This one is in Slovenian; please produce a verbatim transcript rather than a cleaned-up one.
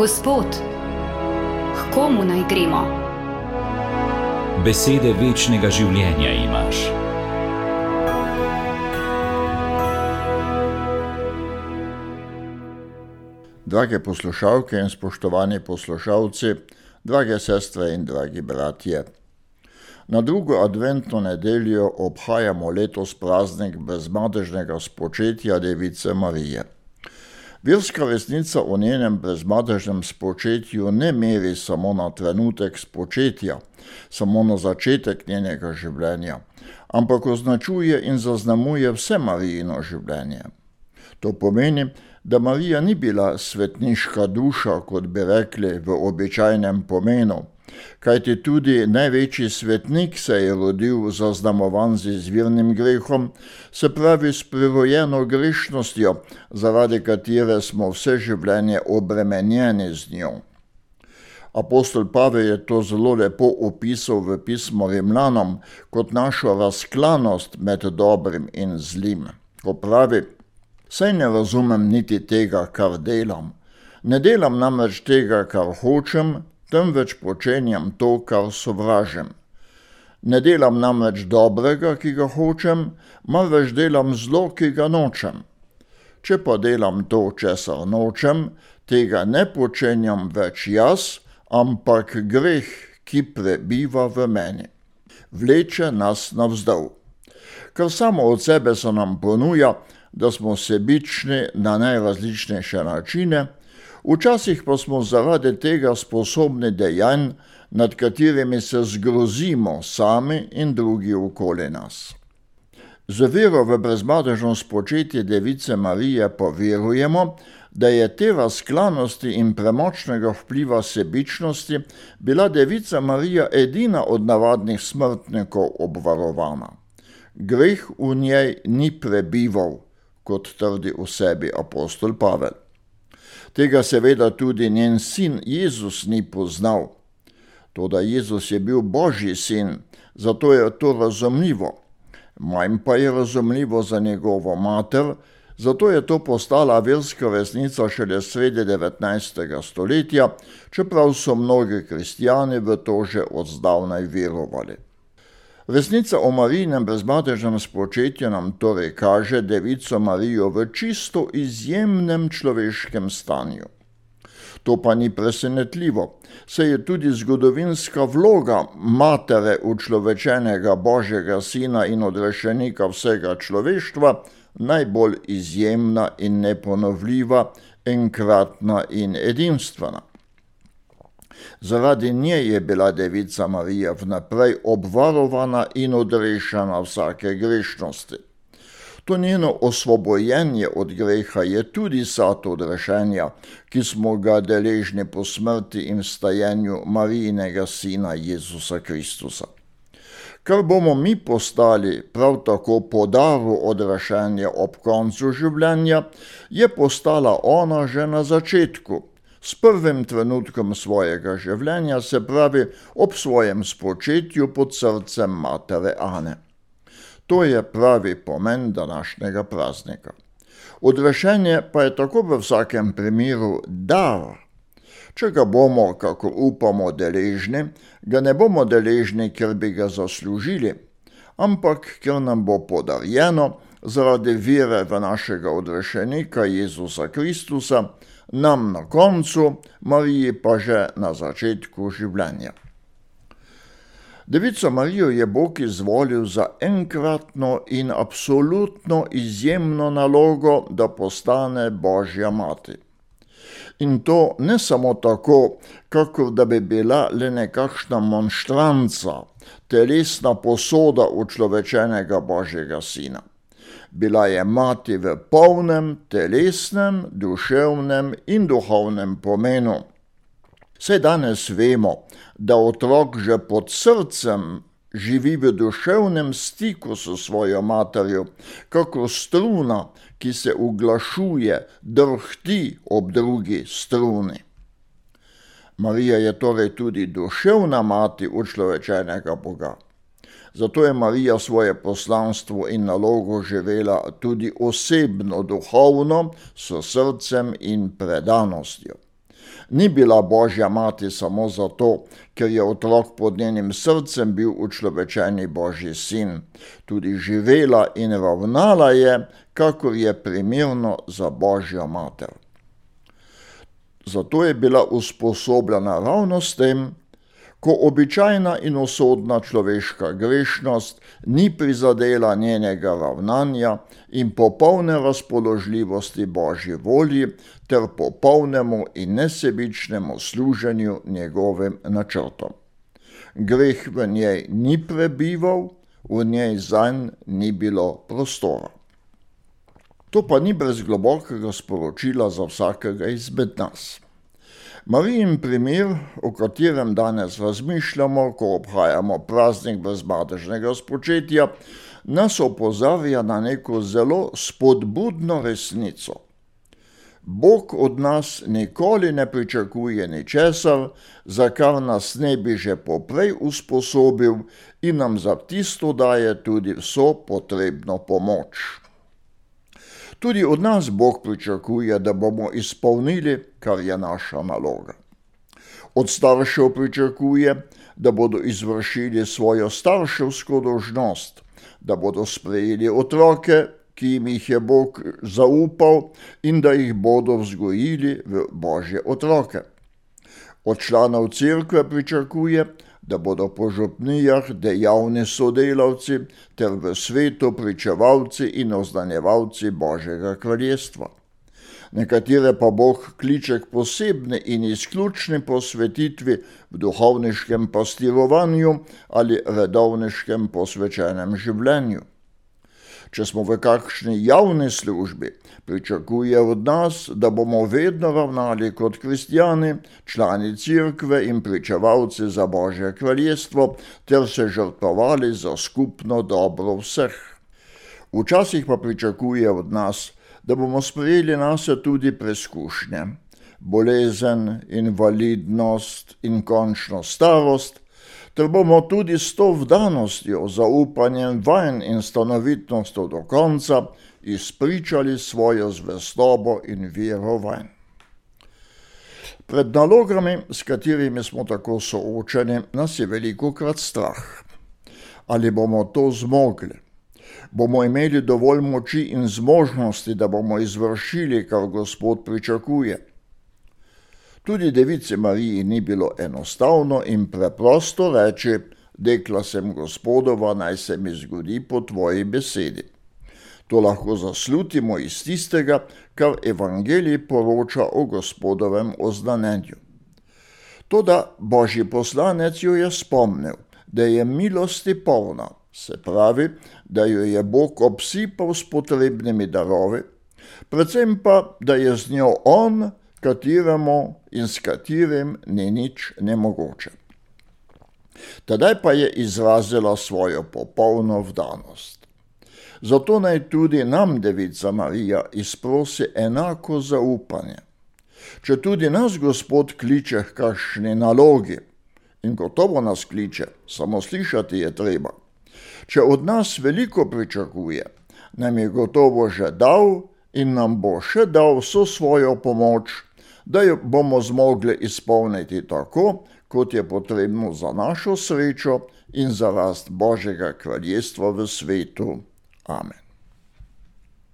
Gospod, k komu naj gremo? Besede večnega življenja imaš. Drage poslušalke in spoštovani poslušalci, drage sestre in dragi bratje. Na drugo adventno nedeljo obhajamo letos praznik brezmadežnega spočetja Device Marije. Verska resnica o njenem brezmadežnem spočetju ne meri samo na trenutek spočetja, samo na začetek njenega življenja, ampak označuje in zaznamuje vse Marijino življenje. To pomeni, da Marija ni bila svetniška duša, kot bi rekli v običajnem pomenu, kajti tudi največji svetnik se je rodil zaznamovan z izvirnim grehom, se pravi s prirojeno grešnostjo, zaradi katere smo vse življenje obremenjeni z njo. Apostol Pavel je to zelo lepo opisal v pismu Rimljanom kot našo razklanost med dobrim in zlim, ko pravi: Saj ne razumem niti tega, kar delam. Ne delam namreč tega, kar hočem, temveč počenjam to, kar sovražim. Ne delam namreč dobrega, ki ga hočem, marveč delam zlo, ki ga nočem. Če pa delam to, česar nočem, tega ne počenjam več jaz, ampak greh, ki prebiva v meni. Vleče nas navzdol. Kar samo od sebe se nam ponuja, da smo sebični na najrazličnejše načine, včasih pa smo zaradi tega sposobni dejanj, nad katerimi se zgrozimo sami in drugi okoli nas. Z vero v brezmadežno spočetje Device Marije pa verujemo, da je te razklanosti in premočnega vpliva sebičnosti bila Devica Marija edina od navadnih smrtnikov obvarovana. Greh v njej ni prebival, kot trdi o sebi apostol Pavel. Tega seveda tudi njen sin Jezus ni poznal. Toda Jezus je bil Božji sin, zato je to razumljivo. Manj pa je razumljivo za njegovo mater, zato je to postala verska resnica šele sredi devetnajstega stoletja, čeprav so mnogi kristjani v to že od zdavnaj verovali. Resnica o Marijinem brezmadežnem spočetju nam torej kaže Devico Marijo v čisto izjemnem človeškem stanju. To pa ni presenetljivo, saj je tudi zgodovinska vloga matere učlovečenega Božjega sina in odrešenika vsega človeštva najbolj izjemna in neponovljiva, enkratna in edinstvena. Zaradi nje je bila Devica Marija vnaprej obvarovana in odrešena vsake grešnosti. To njeno osvobojenje od greha je tudi sad odrešenja, ki smo ga deležni po smrti in vstajenju Marijinega sina Jezusa Kristusa. Kar bomo mi postali prav tako po daru odrešenja ob koncu življenja, je postala ona že na začetku, s prvim trenutkom svojega življenja, se pravi ob svojem spočetju pod srcem matere Ane. To je pravi pomen današnjega praznika. Odrešenje pa je tako v vsakem primeru dar. Če ga bomo, kako upamo, deležni, ga ne bomo deležni, ker bi ga zaslužili, ampak ker nam bo podarjeno zaradi vere v našega odrešenika Jezusa Kristusa, nam na koncu, Mariji pa že na začetku življenja. Devico Marijo je Bog izvolil za enkratno in absolutno izjemno nalogo, da postane Božja mati. In to ne samo tako, kakor da bi bila le nekakšna monštranca, telesna posoda učlovečenega Božjega sina. Bila je mati v polnem telesnem, duševnem in duhovnem pomenu. Saj danes vemo, da otrok že pod srcem živi v duševnem stiku s svojo materjo, kako struna, ki se uglašuje, drhti ob drugi struni. Marija je torej tudi duševna mati učlovečenega Boga. Zato je Marija svoje poslanstvo in nalogo živela tudi osebno, duhovno, s srcem in predanostjo. ni bila Božja mati samo zato, ker je otrok pod njenim srcem bil učlovečeni Božji sin. Tudi živela in ravnala je, kakor je primerno za Božjo mater. Zato je bila usposobljena ravno s tem, ko običajna in usodna človeška grešnost ni prizadela njenega ravnanja in popolne razpoložljivosti Božji volji ter popolnemu in nesebičnemu služenju njegovim načrtom. Greh v njej ni prebival, v njej zanj ni bilo prostora. To pa ni brez globokega sporočila za vsakega izmed nas. Marijin primer, o katerem danes razmišljamo, ko obhajamo praznik brezmadežnega spočetja, nas opozarja na neko zelo spodbudno resnico. Bog od nas nikoli ne pričakuje ničesar, za kar nas ne bi že poprej usposobil in nam za tisto daje tudi vso potrebno pomoč. Tudi od nas Bog pričakuje, da bomo izpolnili, kar je naša naloga. Od staršev pričakuje, da bodo izvršili svojo starševsko dolžnost, da bodo sprejeli otroke, ki jim jih je Bog zaupal in da jih bodo vzgojili v Božje otroke. Od članov cerkve pričakuje, da bodo po župnijah dejavni sodelavci ter v svetu pričevalci in oznanjevalci Božjega kraljestva. Nekatere pa Bog kliče k posebni in izključni posvetitvi v duhovniškem pastirovanju ali redovniškem posvečenem življenju. Če smo v kakšni javni službi, pričakuje od nas, da bomo vedno ravnali kot kristjani, člani cerkve in pričevalci za Božje kraljestvo, ter se žrtvovali za skupno dobro vseh. Včasih pa pričakuje od nas, da bomo sprejeli nase tudi preskušnje, bolezen, invalidnost in končno starost, ter bomo tudi s to vdanostjo, zaupanjem vanj in stanovitnostjo do konca izpričali svojo zvestobo in vero vanj. Pred nalogami, s katerimi smo tako soočeni, nas je velikokrat strah. Ali bomo to zmogli? Bomo imeli dovolj moči in zmožnosti, da bomo izvršili, kar Gospod pričakuje? Tudi devici Mariji ni bilo enostavno in preprosto reči: dekla sem Gospodova, naj se mi zgodi po tvoji besedi. To lahko zaslutimo iz tistega, kar evangelij poroča o Gospodovem oznanjenju. Toda Božji poslanec jo je spomnil, da je milosti polna, se pravi, da jo je Bog obsipal s potrebnimi darovi, predvsem pa, da je z njo on, kateremu in s katerim ni nič nemogoče. Tedaj pa je izrazila svojo popolno vdanost. Zato naj tudi nam devica Marija izprosi enako zaupanje. Če tudi nas Gospod kliče k kakšni nalogi, in gotovo nas kliče, samo slišati je treba. Če od nas veliko pričakuje, nam je gotovo že dal in nam bo še dal vso svojo pomoč, da jo bomo zmogli izpolniti tako, kot je potrebno za našo srečo in za rast Božjega kraljestva v svetu. Amen.